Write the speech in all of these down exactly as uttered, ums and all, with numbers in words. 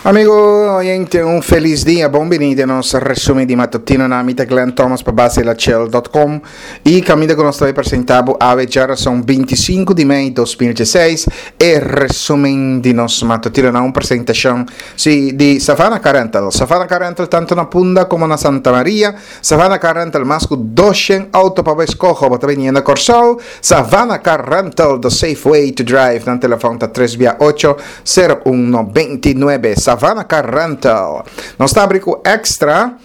Amigo oyente, un felis dia. Bon bini den nos resumen di matutino. Na mi ta Glenn Thomas pa basilachel punto com y caminda cu nos ta presenta awe djarason bintisinku di mei dos mil diesseis e resumen di nos matutino na un presentacion, si, di Savannah Car Rental. Savannah Car Rental tanto na Punda como na Santa Maria. Savannah Car Rental, mas cu doshent auto pa scoge, bo ta bin na Corsou. Savannah Car Rental, the safe way to drive. Na telefon ta tres ocho sero un nobenta i nuebe. Savannah Car Rental. Nos ta cu Extra.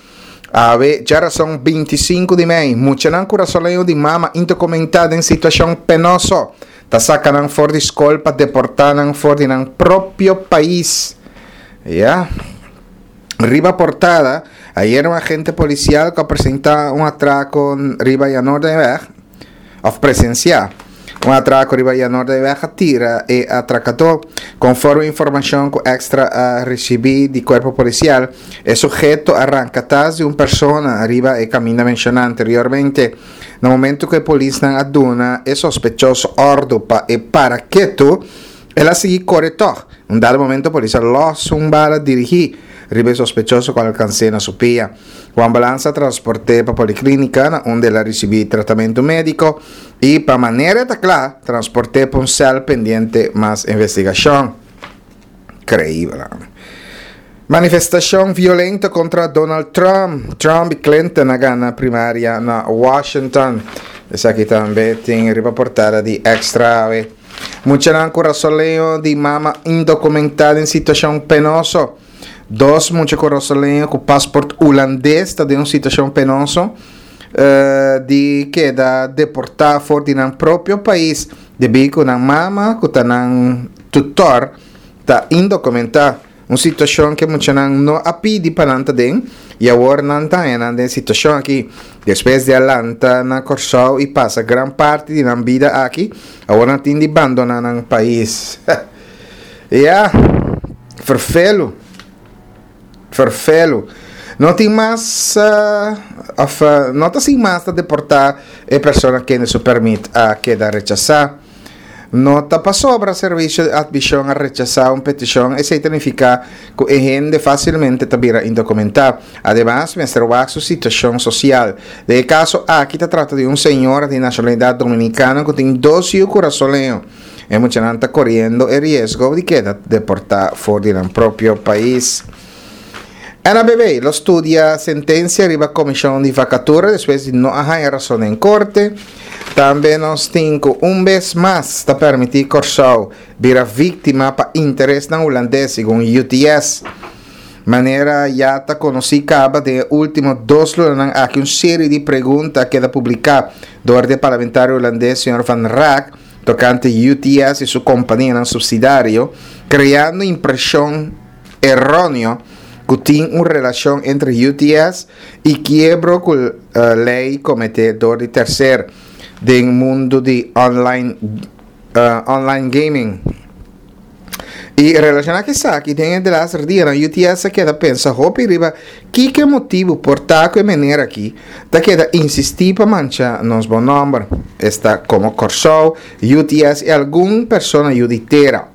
Awe, djarason bintisinku di mei. Muchanan kurasoleño di mama indokumentá den situashon penoso. Ta saka nan for di skol pa deportá nan for di nan propio pais. Ya. Riba portada, ayera un agente polisial ku a presentá un atrako riba Noorderweg, òf presensiá un atrako riba Noorderweg, a tira e atrakadó. Konforme informashon ku Extra a risibí di kuerpo polisial, e suheto a ranka tas di un persona riba e kaminda menshoná anteriormente. Na momento ku e polisnan a duna e sospechoso òrdu pa e para ketu, el a sigui kore tòg. Un dado momento, polis a lòs un bala dirigí riba e sospechoso ku a alkans'é na su pia. E ambulans a transport'é pa poliklínika, na unda el a risibí tratamentu médiko i, pa manera ta kla, transport'é pa un sèl pendiente mas investigashon. Inkreibel. Manifestashon violento kontra Donald Trump. Trump i Clinton a gana primaria na Washington. Esaki tambe tin riba portada di Extra. Muchanan kurasoleño di mama indokumentá den situashon penoso. Dos mucha kurasoleño ku paspòrt hulandes ta den un situashon penoso uh, di keda deportá for di nan propio pais debí ku nan mama, ku ta nan tutor, ta indokumentá. Un situashon ku muchanan no a pidi pa nan ta aden i awor nan ta den e situashon aki despues di a lanta na Kòrsou i pasa gran parti di nan bida aki. Awor nan tin di bandoná nan pais. Ja, ferfelu, ferfelu. No tin mas uh, of, uh, no ta sin mas ta deportá e persona ku su pèrmit a keda rechasá. No ta pasobra servisio di atmishon a rechasá un petishon, esei ta nifiká ku e hende fásilmente ta bira indokumentá. Ademas, mester wak su situashon sosial. Den e kaso aki ta trata di un señora di nashonalidat dominikano ku tin dos yu kurasoleño. E muchanan ta koriendo e riesgo di keda deportá for di nan propio pais. N A B B lo studia sentensia riba komishon di vakatura despues di no haña rason den korte. Tambe nos tin ku un bes mas ta permití Kòrsou bira víktima pa interesnan hulandes, segun U T S. Manera ya ta konosí kaba, den último dos lunanan aki un serie di pregunta a keda publiká dor di parlamentario hulandes señor Van Raak tokante U T S i su kompanianan supsidiario, kreando impreshon eróneo ku tin un relashon entre U T S i kiebro ku uh, lei kometé dor di tersero den mundu di online uh, online gaming. I relashoná ku esaki, den e laatste dia, U T S a keda pensa hopi riba ki motibu por ta ku e manera aki ta keda insistí pa mancha nos bon nòmber. Esta komo Kòrsou, U T S i algun persona yu di tera.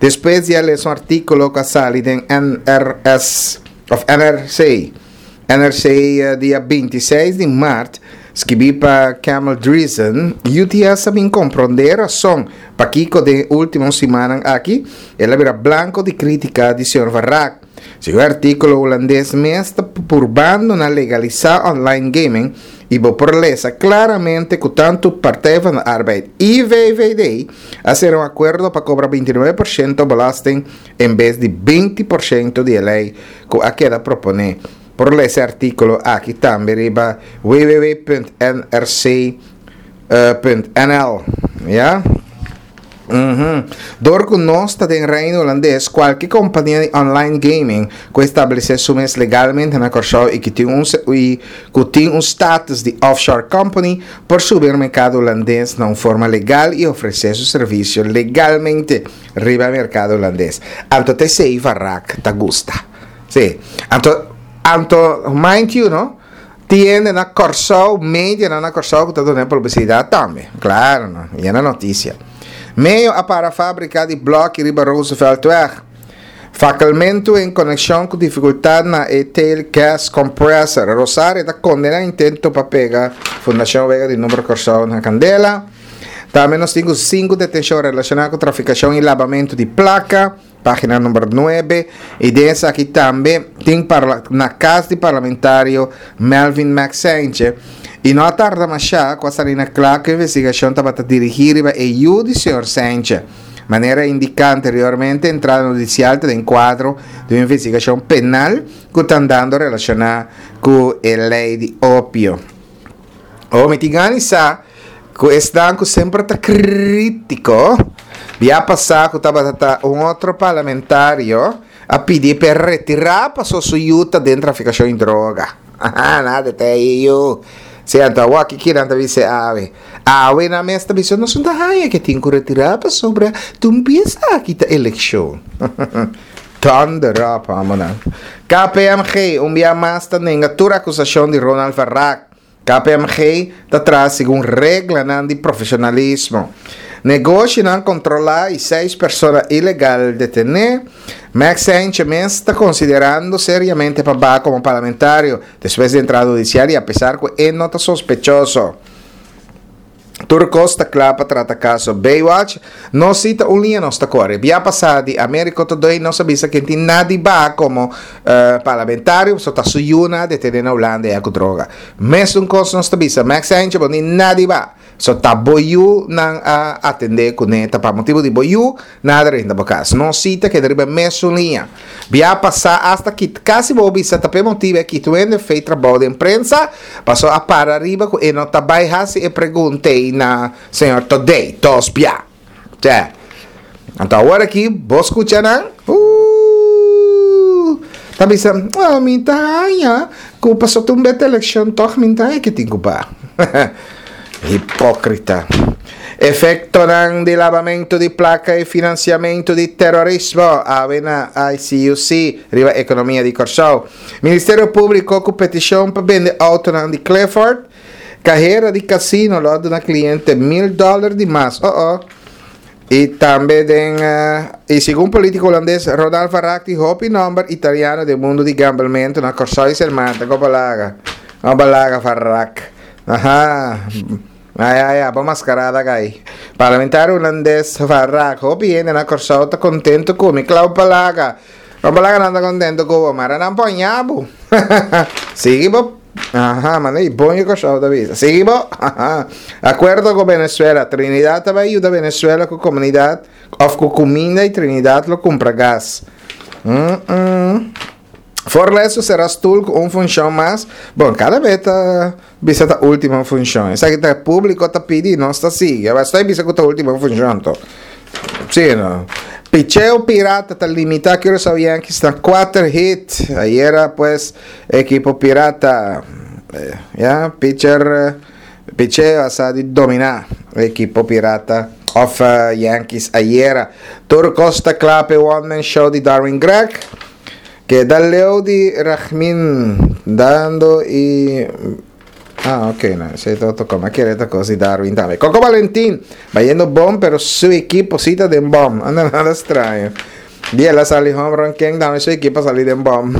Despues di lesa un artíkulo ku a sali den N R S òf N R C, N R C eh, dia bintiseis di mart, skibí pa Camel Driesen, U T S a bin komprondé rason pakiko den último simannan aki el a bira blanko di krítika di señor Van Raak. Segun e artíkulo, hulandes mes ta purbando na legalisá online gaming i bo por lesa klaramente ku tantu Partij van de Arbeid i V V D a sera un akuerdo pa kobra bintinuebe porshento belasting en bes di binti porshento di lei ku a keda proponé. Por lesa e artíkulo aki tambe riba w w w punto N R C punto N L. Ja? Uhum. Dor ku nos ta den Reino Hulandes, kualke kompania di online gaming ku establesé su mes legalmente na Kòrsou i ku tin un i ku tin un status di offshore company por subi merkado hulandes na un forma legal i ofresé su servisio legalmente riba merkado hulandes. Anto t'esei Van Raak ta gusta. Si. Anto anto mind you, no? Tin na Kòrsou, media na Kòrsou ku ta duna publisidat tambe. Klaro, no? I na notisia. Meo a para fábrika di blòki riba Rooseveltweg. Fakkelmentu en konekshon ku difikultat na e tail gas compressor. Rosario ta kondená intento pa pega Fundashon Wega di Number Kòrsou na kandela. Tambe nos tin sinku detenshon relashoná ku trafikashon i labamentu di plaka. Página number nuebe. I den esaki tambe tin parla, na kas di parlamentario Melvin Max Sanchez. I no a tarda masha ku a sali na kla ku e investigashon tabata dirigí riba e yu di señor Sanchez. Manera indiká anteriormente, entrada hudisial ta den kuadro di un investigashon penal ku ta andando relashoná ku e lei di opio. O mi tin gana di sa ku esnan ku semper ta krítiko, bia pasá ku tabata ta un otro parlamentario a pidi p'e retirá paso su yu ta den trafikashon di droga. Aha, nada ta e yu. Si anto awor aki kinan ta bisa awe. Awe nan mes ta bisa nos no ta haña ke tin ku retirá pasobra tur bies aki ta elekshon. Thunder up, amonan. K P M G un bia mas ta nenga tur akusashon di Ronald Varrak. K P M G ta traha segun reglanan di profesionalismo. Negoshinan kontrolá i seis persona ilegal detené. Max Sanchez mes ta konsiderando seriamente pa baha komo parlamentario despues di entrada hudisial i apesar ku e no ta sospechoso. Tur kos ta kla pa trata kaso Baywatch. Nos si ta un liña nos ta kore. Bia pasá di Americo Todoy nos a bisa ken tin nadi baha komo parlamentario pasobra ta su yu nan a detené na Hulanda ya ku droga. Mesun kos nos ta bisa Max Sanchez bo tin nadi baha. So ta bo yu nan a atendé kuné ta pa motibu di bo yu nan a drenta bo kas. Nos si ta keda riba e mesun liña. Bia pasá asta kit kasi bo bisa ta p'e motibu e kitu hende fei trabou den prensa pasobra a para riba ku e no ta bai hasi e pregunta ei na señor Todey dos bia. Tje. Anto awor aki bo skucha nan uuh ta bisa oh mi ta haña ku pasobra ta un beta elekshon tòg mi ta haña ke tin ku ba. Hipókrita. Efektonan di labamentu di plaka i finansiamentu di terorismo awe na I C U C riba ekonomia di Kòrsou. Ministerio Públiko ku petishon pa bende outonan di Clifford. Kahera di kasino lo a duna kliente mil dòler di mas. Oh oh. I tambe den i segun polítiko hulandes Ronald van Raak di hopi nòmber italiano den mundu di gamblementu na Kòrsou i Sint Maarten. Kon balaga? Kon balaga Van Raak? Aha. Ai ai ai, bo mascarada gai. Parlamentario hulandes Van Raak, hopi hende na Kòrsou ta kontentu ku mi. Klau balaga. Kon balaga nan ta kontentu ku bo? Mara nan poña bo. Sigui bo. Aha, manda i bon yu Kòrsou ta bisa. Sigui bo. Aha. Akuerdo ku Venezuela. Trinidad ta bai yuda Venezuela ku komunidat òf ku kuminda i Trinidad lo kumpra gas. Mm-mm. Forleso será stoel ku un funshon mas. Bon, kada be ta bisa ta último funshon. Esaki ta públiko ta pidi, nos ta sigui. Aba estoy bisa ku ta último funshon to. Sí, no. Picheo Pirata ta limitá Curaçao Yankees na kuater hit. Ayera pues ekipo Pirata, ya, pitcher picheo a sa di dominá ekipo Pirata of Yankees ayera. Tur kos ta kla p'e one man show di Darwin Gregg. Keda leu di Ragmin dando i Ah, ok, no, esei ta otro kos. Mi a kere ta kos di Darwin tambe. Coco Valentin, bayendo bon, pero su ekipo si ta den bom. Anda nada straño. Di el a sali home run ken tambe su ekipo a sali den bom.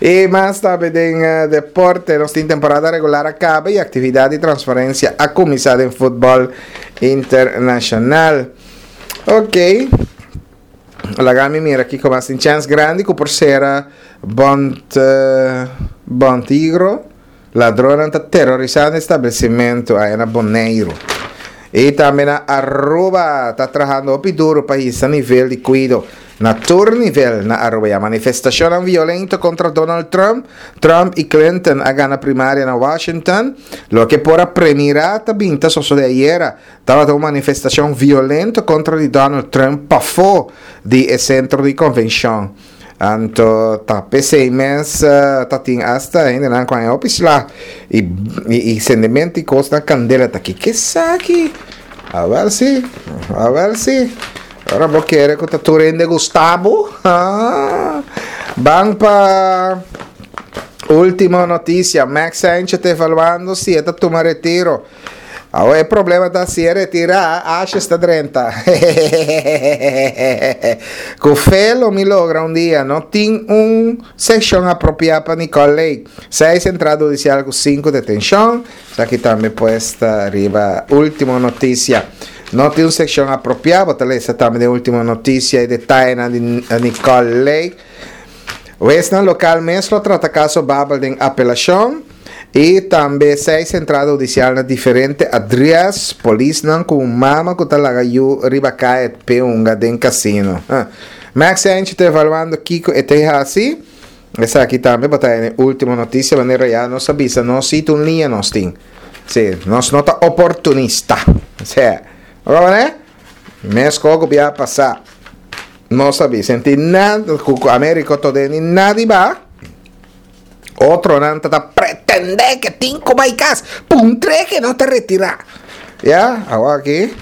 I mas tambe den deporte, nos tin temporada regular a kaba i aktividat di transferensia a kuminsá den futbòl internashonal. Ok. Laga mi mira kiko mas tin chèns grandi ku por sera Bont Bontigro. Ladronnan ta terorisando establesimentu aya na Boneiru. I tambe na Aruba ta trahando hopi duru pa hisa nivel di kuido na tur nivel na Aruba. Ya manifestashonnan violento kontra Donald Trump. Trump i Clinton a gana primaria na Washington. Loke por a premirá ta bin ta sosodé ayera. Tabata un manifestashon violento kontra di Donald Trump pafó di e sentro di konvenshon. Anto ta p'esei mes ta tin asta hendenan ku a hopi sla i i sendemento i kosnan kandela ta ki kesaki. Awèl si, awèl si. Ora bo kere ku ta tur hende gusta bo. Ban pa último notisia. Max Sanchez ta evaluando si e ta tuma retiro. Awor e problema ta si e retirá, Ashes ta drenta. Ku fe lo mi logra un dia. No tin un sekshon apropiá pa Nicole Lake. Seis entrada hudisial ku sinku detenshon. Esaki tambe pues ta riba Ultimo Noticia. No tin un sekshon apropiá, bo ta lesa tambe den Ultimo Noticia e detayenan di Nicole Lake. Huesnan lokal mes lo trata kaso Babel den apelashon i tambe seis entrada hudisial na diferente adrès. Polisnan ku un mama ku ta laga yu riba kaya p'e hunga den kasino. Max Angie ta evaluando kiko e ta hasi. Esaki tambe bo ta haña den Ultimo Noticia manera ya nos a bisa nos si ta un liña nos tin. Si, nos no ta oportunista. Sea, bo kono? Meskos ku bia pasá. No sabi, senti nada ku Americo to den ni nadi ba. Otronan ta ta pretende ke tin ku bai kas, puntre ke no ta retira. Ya, awor aki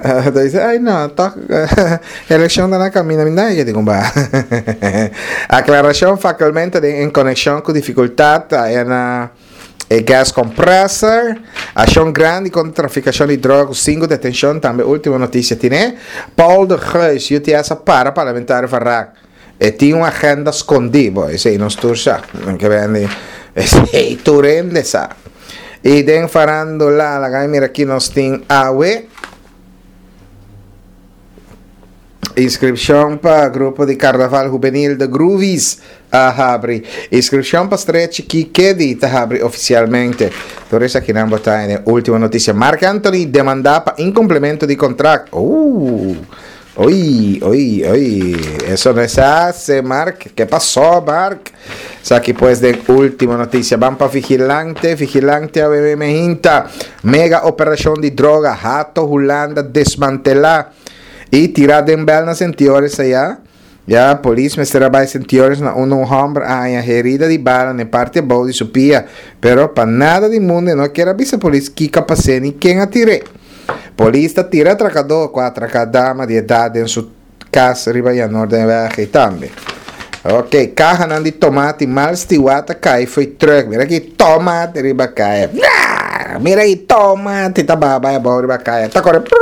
ta bisa, ay no, tok elekshon ta na kaminda, mi nada ke tin ku ba. Aklarashon fakulmente den en konekshon ku difikultat ta na E gas compressor, Accion grandi contra traficacion di droga cu cinco detencion, tambe Ultimo Noticia tine. Paul de Geus, U T S a para parlamentario van Raak. E tin un agenda scondi, bo, esey nos tur sa. Ke bende, esey tur hende sa. Y den farandula, laga mi mira ki nos tin awe. Inscripcion pa grupo di Carnaval Juvenil The Groovies a habri. Inscripcion pa Strea Chikí Kedi ta habri oficialmente. Tur esakinan bo ta en e ultimo noticia. Marc Anthony demanda pa incumplimento di contract. Ooh, oy, oy, oy. Eso no es hace, Marc. Ke pasó, Marc? Esaki pues den ultimo noticia. Ban pa Vigilante. Vigilante a bebe mehinta. Mega operacion di droga. Hato Hulanda desmantela. I tirá den bèl na Sentiores ayá. Ya, polis mester a bai Sentiores na unda un hòmber a haña herida di bala na e parti abou di su pia. Pero pa nada di mundu e no kier a bisa polis kiko a pas'é ni ken a tir'é. Polis ta tira atrakadó ku a atraká dama di edat den su kas riba Janor den Weg ei tambe. Ok, kahanan di tomati mal stiwá ta kai fo'i trùk. Mira ki tomati riba kaya. Mira ki tomati ta baha bai abou riba kaya. Ta kore prrrr.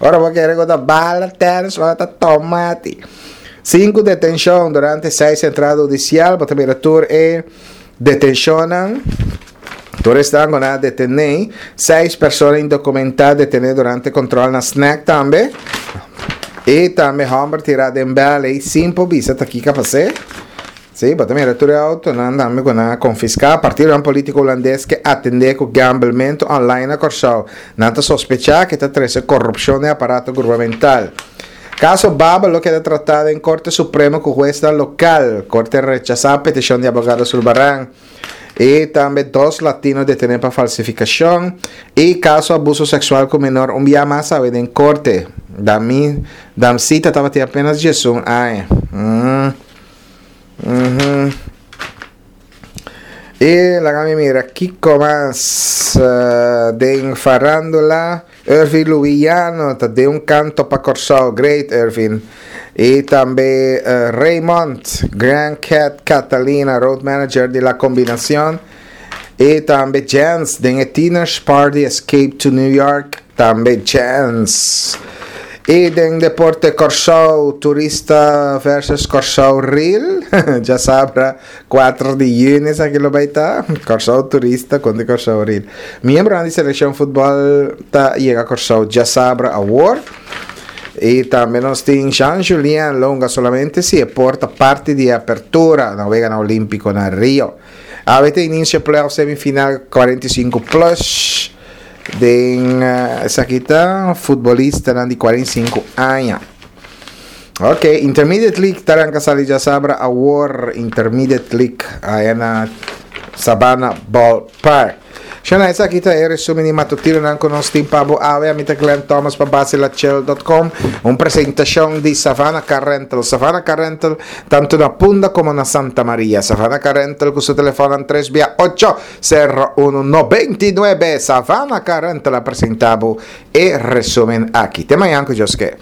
Ora bo kere ku ta bala tènis, ora ta tomati. Sinku detenshon durante seis entrada hudisial. Bo ta mira tur e detenshonnan. Tur esnan ku nan a detené. Seis persona indokumentá detené durante kontròl na snèk tambe. I tambe hòmber tirá den bèl ei sin por bisa ta kiko a pas'é. Sí, bo ta mira tur e outonan tambe ku nan a konfiská. Partidonan polítiko hulandes ke atendé ku gamblementu online na Kòrsou. Nan ta sospechá ku e ta trese korupshon den aparato gubernamental. Kaso Babel lo keda tratá den Korte Supremo ku huesnan lokal. Korte rechasá petishon di abogado Sulbaran. I tambe dos latino detené pa falsifikashon. I kaso abuso seksual ku menor un bia mas awe den korte. Dami, Damsita tabatin apenas diesun aña. Mm. Mhm. I laga mi mira kiko mas uh, den farándula. Irvin Luiano ta den un kanto pa Kòrsou. Great, Irvin. I tambe uh, Raymond, Grand Cat Catalina, road manager di La Combinacion. I tambe Jens den e Teeners Party Escape to New York. Tambe Jens. I den deporte Kòrsou, Turista versus Kòrsou Real. Djasabra kuater di yüni esaki lo bai ta. Kòrsou Turista kontra Kòrsou Real. Miembronan di selekshon futbòl ta yega Kòrsou djasabra awor. I tambe nos tin Jean Julien lo hunga solamente si e por ta parti di e apertura na Weganan Olímpiko na Rio. Awe ta inicio playoff semifinal kuarenta i sinku plus. Den esaki ta futbolistanan di kuarenta i sinku aña. Ok, Intermediate League ta ranka sali djasabra awor. Intermediate League aya na Sabana Ballpark. Shana, esaki ta e resumen di matutinonan ku nos tin pa bo awe. Ami ta Glenn Thomas pa Basilachel dot com. Un presentashon di Savannah Car Rental. Savannah Car Rental tantu na Punda komo na Santa Maria. Savannah Car Rental ku su telefonnan tres bia ocho. Sero uno noventa i nuebe Savannah Car Rental a presenta bo e resumen aki. Te mañan cu Dios ke.